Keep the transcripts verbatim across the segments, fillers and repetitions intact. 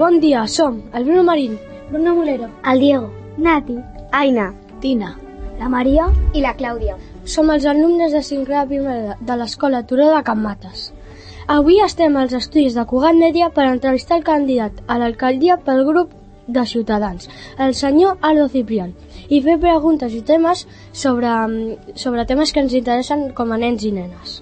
bon dia, som el Bruno Marín, Bruno Molero, el Diego, Nati, Aina, Tina, la Maria i la Clàudia. Som els alumnes de cinquè de primera de l'Escola Turó de Can Mates. Avui estem als estudis de Cugat Mèdia per entrevistar el candidat a l'alcaldia pel grup de Ciutadans, el senyor Aldo Ciprián, i fer preguntes i temes sobre, sobre temes que ens interessen com a nens i nenes.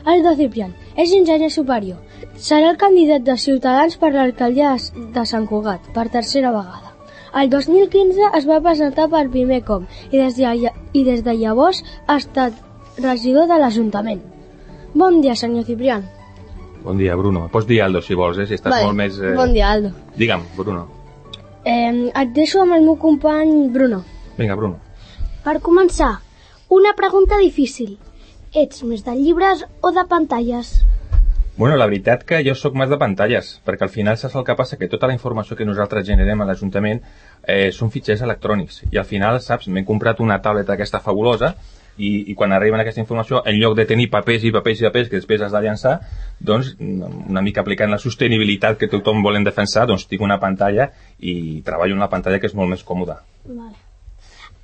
Aldo Ciprián és enginyer superior. Serà el candidat de Ciutadans per l'alcaldia de Sant Cugat per tercera vegada. El dos mil quinze es va presentar per primer cop i des de, i des de llavors ha estat regidor de l'Ajuntament. Bon dia, senyor Ciprián. Bon dia, Bruno. Pots dir Aldo, si vols, eh? Si estàs vale. molt més... Eh... Bon dia, Aldo. Digue'm, Bruno. Eh, et deixo amb el meu company Bruno. Vinga, Bruno. Per començar, una pregunta difícil. Ets més de llibres o de pantalles? Bueno, la veritat que jo sóc més de pantalles, perquè al final saps el que passa? Que tota la informació que nosaltres generem a l'Ajuntament eh, són fitxers electrònics. I al final, saps, m'he comprat una tableta aquesta fabulosa i, i quan arriben aquesta informació, en lloc de tenir papers i papers i papers que després has de llançar, doncs una mica aplicant la sostenibilitat que tothom volen defensar, doncs tinc una pantalla i treballo en la pantalla, que és molt més còmoda. Vale.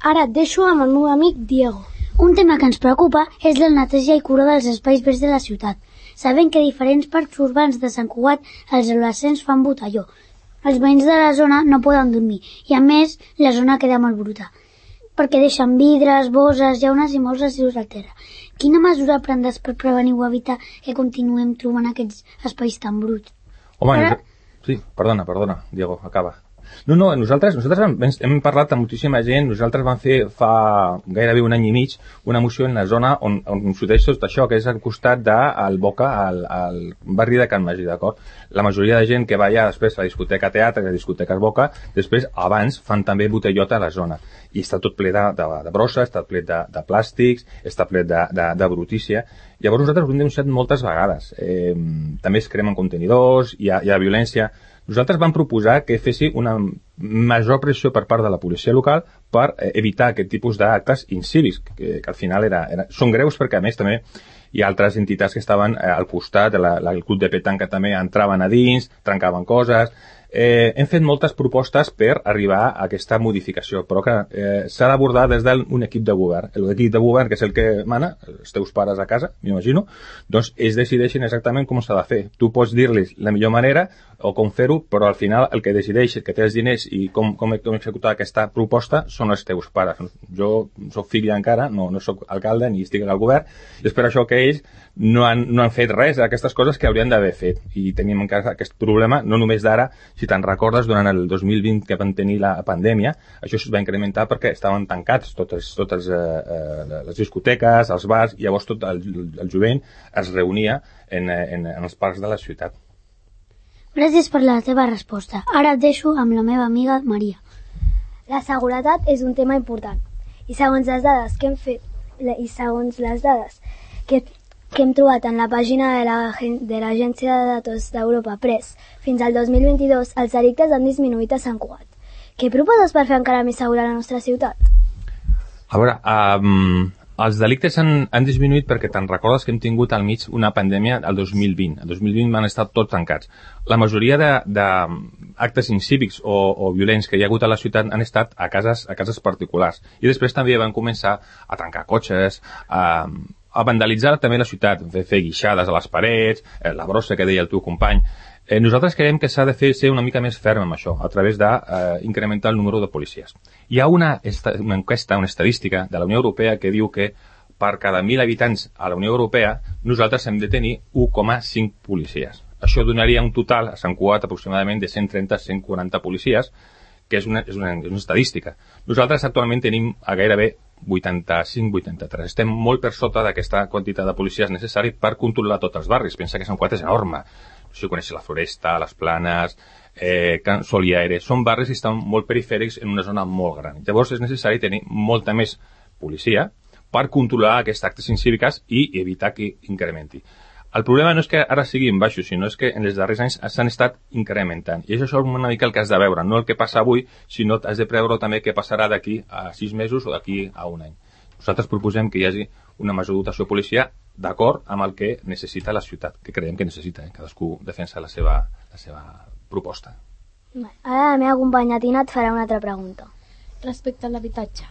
Ara et deixo amb el meu amic Diego. Un tema que ens preocupa és la neteja i cura dels espais verds de la ciutat. Sabem que a diferents parcs urbans de Sant Cugat els adolescents fan botelló. Els veïns de la zona no poden dormir i, a més, la zona queda molt bruta, perquè deixen vidres, bosses, llaunes i molts residus al terra. Quina mesura prendràs per prevenir o evitar que continuem trobant aquests espais tan bruts? Home, Ara... sí, perdona, perdona, Diego, acaba. No, no, nosaltres, nosaltres hem, hem parlat amb moltíssima gent, nosaltres vam fer fa gairebé un any i mig una moció en la zona on, on s'uteix tot això, que és al costat del Boca, al, al barri de Can Magí, d'acord? La majoria de gent que va allà després a la discoteca Teatre, a la discoteca Boca, després, abans, fan també botellota a la zona. I està tot ple de, de, de brossa, està ple de, de plàstics, està ple de, de, de brutícia. Llavors nosaltres ho hem denunciat moltes vegades. Eh, també es cremen contenidors, hi ha, hi ha violència. Nosaltres vam proposar que fessi una major pressió per part de la policia local per evitar aquest tipus d'actes incívics, que, que al final era, era, són greus perquè a més també hi ha altres entitats que estaven eh, al costat, la, la, el club de petanca també entraven a dins, trencaven coses. Eh, hem fet moltes propostes per arribar a aquesta modificació, però que eh, s'ha d'abordar des d'un equip de govern. L'equip de govern, que és el que mana, els teus pares a casa, m'imagino, doncs ells decideixen exactament com s'ha de fer. Tu pots dir-los la millor manera o com fer-ho, però al final el que decideix, que té els diners i com, com, com executar aquesta proposta són els teus pares. Jo soc fill encara, no, no soc alcalde ni estic al govern, i és per això que ells no han, no han fet res d'aquestes coses que haurien d'haver fet. I tenim encara aquest problema, no només d'ara, si te'n recordes, durant el dos mil vint que van tenir la pandèmia, això es va incrementar perquè estaven tancats totes, totes eh, eh, les discoteques, els bars, i llavors tot el, el jovent es reunia en, en, en els parcs de la ciutat. Gràcies per la teva resposta. Ara et deixo amb la meva amiga Maria. La seguretat és un tema important i segons les dades que hem fet i segons les dades que, que hem trobat en la pàgina de la, de l'Agència de Datos d'Europa, Press, fins al dos mil vint-i-dos els delictes han disminuït a Sant Cugat. Què proposes per fer encara més segura la nostra ciutat? A veure, um, els delictes han, han disminuït perquè te'n recordes que hem tingut al mig una pandèmia el dos mil vint. El dos mil vint van estar tots tancats. La majoria d'actes incívics o, o violents que hi ha hagut a la ciutat han estat a cases, a cases particulars. I després també van començar a tancar cotxes, a, a vandalitzar també la ciutat, fer, fer guixades a les parets, la brossa que deia el teu company. Eh, nosaltres creiem que s'ha de fer ser una mica més ferm amb això, a través d'incrementar eh, el número de policies. Hi ha una, una enquesta, una estadística de la Unió Europea que diu que per cada mil habitants a la Unió Europea nosaltres hem de tenir u coma cinc policies. Això donaria un total a Sant Cugat aproximadament de cent trenta a cent quaranta policies, que és una, és una, és una estadística. Nosaltres actualment tenim a gairebé vuitanta-cinc vuitanta-tres. Estem molt per sota d'aquesta quantitat de policies necessari per controlar tots els barris. Pensa que Sant Cugat és enorme. No sé si coneixes la Floresta, les Planes, eh, Sol i Aire. Són barris que estan molt perifèrics en una zona molt gran. Llavors és necessari tenir molta més policia per controlar aquests actes incívics i evitar que incrementi. El problema no és que ara siguin baixos, sinó és que en els darrers anys s'han estat incrementant. I això és una mica el que has de veure, no el que passa avui, sinó has de preveure també què passarà d'aquí a sis mesos o d'aquí a un any. Nosaltres proposem que hi hagi una major dotació de policia d'acord amb el que necessita la ciutat, que creiem que necessita, eh? Cadascú defensa la seva, la seva proposta. Ara la meva companya Tina et farà una altra pregunta. Respecte a l'habitatge.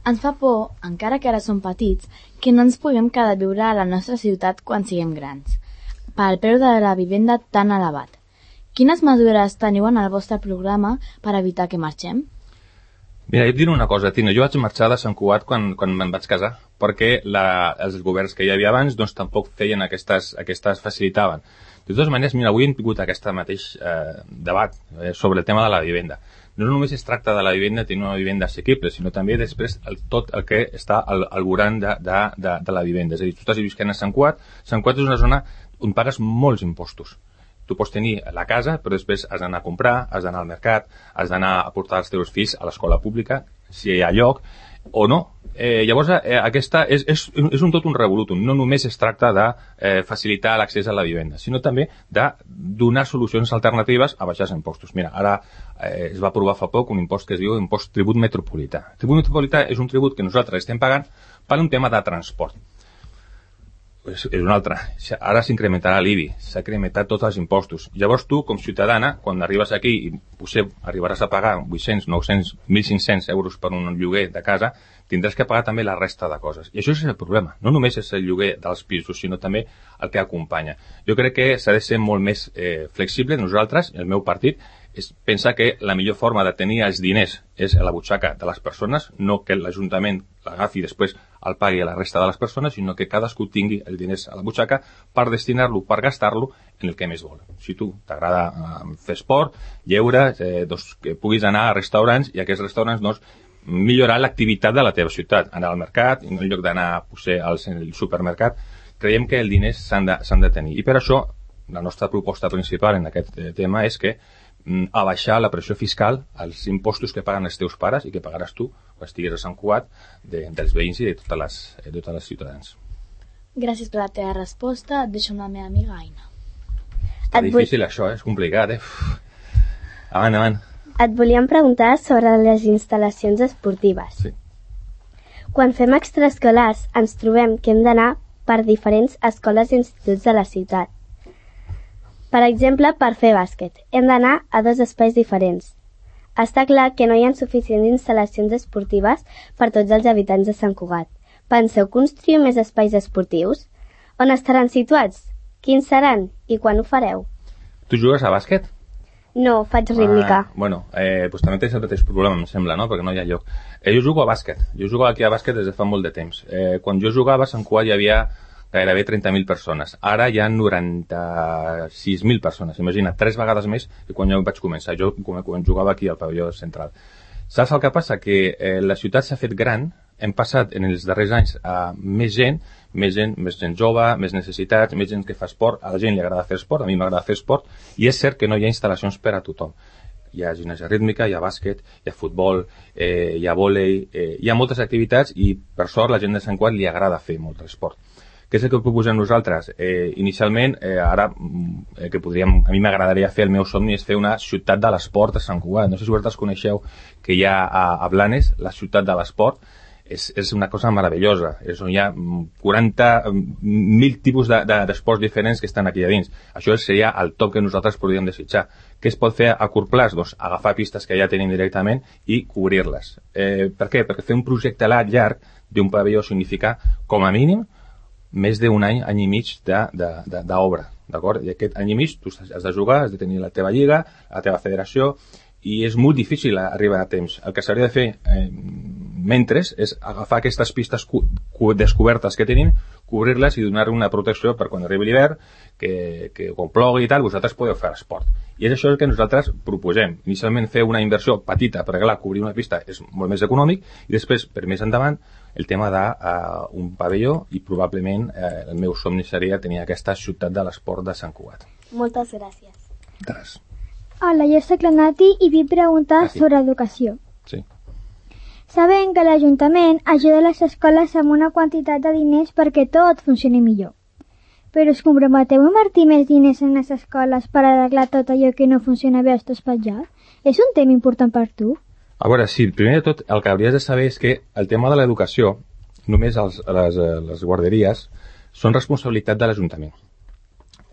Ens fa por, encara que ara som petits, que no ens puguem quedar a viure a la nostra ciutat quan siguem grans, pel preu de la vivenda tan elevat. Quines mesures teniu en el vostre programa per evitar que marxem? Mira, jo et diré una cosa, Tina. Jo vaig marxar de Sant Cugat quan, quan me'n vaig casar, perquè la, els governs que hi havia abans doncs, tampoc feien aquestes, aquestes facilitaven. De totes maneres, mira, avui hem tingut aquest mateix eh, debat eh, sobre el tema de la vivenda. No només es tracta de la vivenda tenir una vivenda assequible, sinó també després el, tot el que està al, al voltant de, de, de, de la vivenda. És a dir, tu estàs visquent a Sant Cugat. Sant Cugat és una zona on pagues molts impostos. Tu pots tenir la casa, però després has d'anar a comprar, has d'anar al mercat, has d'anar a portar els teus fills a l'escola pública, si hi ha lloc, o no. Eh, llavors, eh, aquesta és, és, és un tot un revolutum. No només es tracta de eh, facilitar l'accés a la vivenda, sinó també de donar solucions alternatives a baixar els impostos. Mira, ara eh, es va aprovar fa poc un impost que es diu impost tribut metropolità. El tribut metropolità és un tribut que nosaltres estem pagant per un tema de transport. És, és un altre. Ara s'incrementarà l'I B I, s'ha incrementat tots els impostos. Llavors tu, com ciutadana, quan arribes aquí i potser arribaràs a pagar vuit-cents, nou-cents, mil cinc-cents euros per un lloguer de casa, tindràs que pagar també la resta de coses. I això és el problema. No només és el lloguer dels pisos, sinó també el que acompanya. Jo crec que s'ha de ser molt més eh, flexible. Nosaltres, el meu partit, és pensar que la millor forma de tenir els diners és a la butxaca de les persones, no que l'Ajuntament l'agafi i després el pagui a la resta de les persones, sinó que cadascú tingui els diners a la butxaca per destinar-lo, per gastar-lo en el que més vol. Si tu t'agrada eh, fer esport, lleure, eh, doncs que puguis anar a restaurants i aquests restaurants doncs, millorar l'activitat de la teva ciutat, anar al mercat, en lloc d'anar potser al supermercat. Creiem que els diners s'han de, s'han de tenir. I per això la nostra proposta principal en aquest eh, tema és que a baixar la pressió fiscal als impostos que paguen els teus pares i que pagaràs tu quan estiguis a Sant Cugat de, dels veïns i de totes les, de totes les ciutadans. Gràcies per la teva resposta. Et deixo amb la meva amiga Aina. Està Et difícil vull... això, eh? És complicat, eh? Avant, avant. Et volíem preguntar sobre les instal·lacions esportives. Sí. Quan fem extraescolars ens trobem que hem d'anar per diferents escoles i instituts de la ciutat. Per exemple, per fer bàsquet, hem d'anar a dos espais diferents. Està clar que no hi ha suficients instal·lacions esportives per tots els habitants de Sant Cugat. Penseu construir més espais esportius? On estaran situats? Quins seran? I quan ho fareu? Tu jugues a bàsquet? No, faig rítmica. Ah, bueno, eh, pues també tens el mateix problema, em sembla, no? Perquè no hi ha lloc. Eh, jo jugo a bàsquet. Jo jugo aquí a bàsquet des de fa molt de temps. Eh, quan jo jugava a Sant Cugat hi havia gairebé trenta mil persones. Ara hi ha noranta-sis mil persones. Imagina't, tres vegades més que quan jo vaig començar. Jo quan jugava aquí al pavelló central. Saps el que passa? Que eh, la ciutat s'ha fet gran. Hem passat en els darrers anys a més gent, més gent, més gent jove, més necessitats, més gent que fa esport. A la gent li agrada fer esport, a mi m'agrada fer esport. I és cert que no hi ha instal·lacions per a tothom. Hi ha gimnàsia rítmica, hi ha bàsquet, hi ha futbol, eh, hi ha vòlei, eh, hi ha moltes activitats i per sort la gent de Sant Cugat li agrada fer molt esport. Què és el que proposem nosaltres? Eh, inicialment, eh, ara, eh, que podríem, a mi m'agradaria fer, el meu somni és fer una ciutat de l'esport a Sant Cugat. No sé si vosaltres coneixeu que hi ha a, a Blanes, la ciutat de l'esport. És, és una cosa meravellosa. És on hi ha quaranta mil tipus d'esports de, de, diferents que estan aquí a dins. Això seria el top que nosaltres podríem desitjar. Què es pot fer a curt plaç? Doncs agafar pistes que ja tenim directament i cobrir-les. Eh, per què? Perquè fer un projecte llarg d'un pavelló significa, com a mínim, més d'un any, any i mig d'obra, d'acord? I aquest any i mig tu has de jugar, has de tenir la teva lliga, la teva federació, i és molt difícil arribar a temps. El que s'hauria de fer eh, mentre és agafar aquestes pistes descobertes que tenim, cobrir-les i donar una protecció per quan arribi l'hivern, que, que quan plogui i tal, vosaltres podeu fer esport. I és això el que nosaltres proposem. Inicialment fer una inversió petita, perquè clar, cobrir una pista és molt més econòmic, i després, per més endavant, el tema d'un uh, pavelló, i probablement uh, el meu somni seria tenir aquesta ciutat de l'esport de Sant Cugat. Moltes gràcies. Gràcies. Hola, jo soc la Nati i vull preguntar Nati. sobre educació. Sí. Sabem que l'Ajuntament ajuda les escoles amb una quantitat de diners perquè tot funcioni millor. Però us comprometeu a invertir més diners en les escoles per arreglar tot allò que no funciona bé als teus petjats? És un tema important per tu? A veure, sí, primer de tot, el que hauries de saber és que el tema de l'educació, només els, les, les guarderies, són responsabilitat de l'Ajuntament.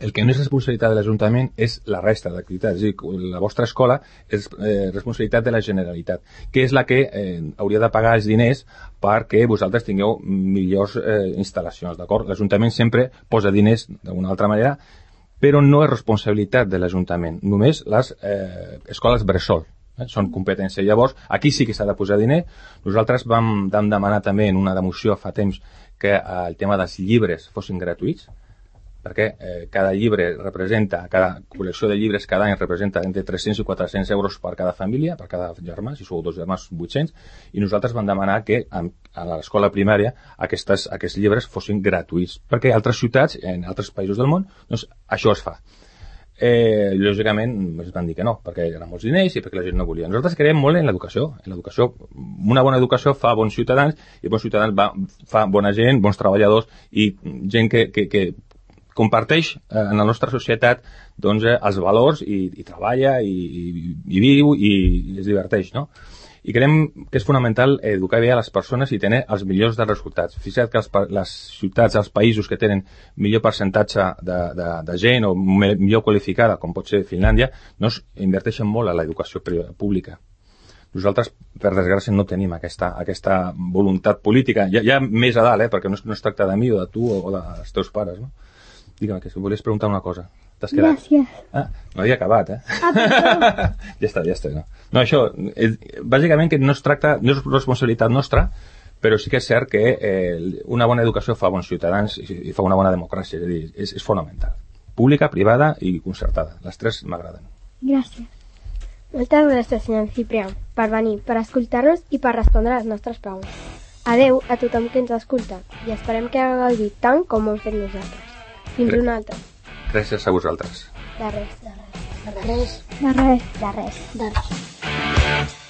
El que no és responsabilitat de l'Ajuntament és la resta d'activitats. És a dir, la vostra escola és eh, responsabilitat de la Generalitat, que és la que eh, hauria de pagar els diners perquè vosaltres tingueu millors eh, instal·lacions, d'acord? L'Ajuntament sempre posa diners d'una altra manera, però no és responsabilitat de l'Ajuntament, només les eh, escoles bressol. Eh? Són competència. Llavors, aquí sí que s'ha de posar diner. Nosaltres vam, vam demanar també en una moció fa temps que eh, el tema dels llibres fossin gratuïts, perquè eh, cada llibre representa, cada col·lecció de llibres cada any representa entre tres-cents i quatre-cents euros per cada família, per cada germà, si sou dos germans, vuit-cents, i nosaltres vam demanar que a, a l'escola primària aquestes, aquests llibres fossin gratuïts, perquè a altres ciutats, en altres països del món, doncs això es fa. Eh, lògicament ens van dir que no, perquè eren molts diners i perquè la gent no volia. Nosaltres creiem molt en l'educació. En l'educació, una bona educació fa bons ciutadans, i bons ciutadans va, fa bona gent, bons treballadors i gent que, que, que comparteix eh, en la nostra societat doncs, eh, els valors i, i treballa i, i, i viu i, i es diverteix, no? I creiem que és fonamental educar bé a les persones i tenir els millors dels resultats. Fixa't que els, les ciutats, els països que tenen millor percentatge de, de, de gent o millor qualificada, com pot ser Finlàndia, no es inverteixen molt a l'educació pública. Nosaltres, per desgràcia, no tenim aquesta, aquesta voluntat política. Ja, ja més a dalt, eh, perquè no es, no es tracta de mi o de tu o dels teus pares, no? Digue'm, que si volies preguntar una cosa. T'has quedat? Gràcies. Ah, no havia acabat, eh? Ah, ja està, ja està. No, no això, és, bàsicament que no es tracta, no és responsabilitat nostra, però sí que és cert que eh, una bona educació fa bons ciutadans i, i fa una bona democràcia, és a dir, és, és fonamental. Pública, privada i concertada. Les tres m'agraden. Gràcies. Moltes gràcies, senyor Ciprià, per venir, per escoltar-nos i per respondre a les nostres preguntes. Adeu a tothom que ens escolta i esperem que hagueu gaudit tant com ho hem fet nosaltres. Fins una altra. Gràcies a vosaltres. De res, de res. De res. De res. De res. De res.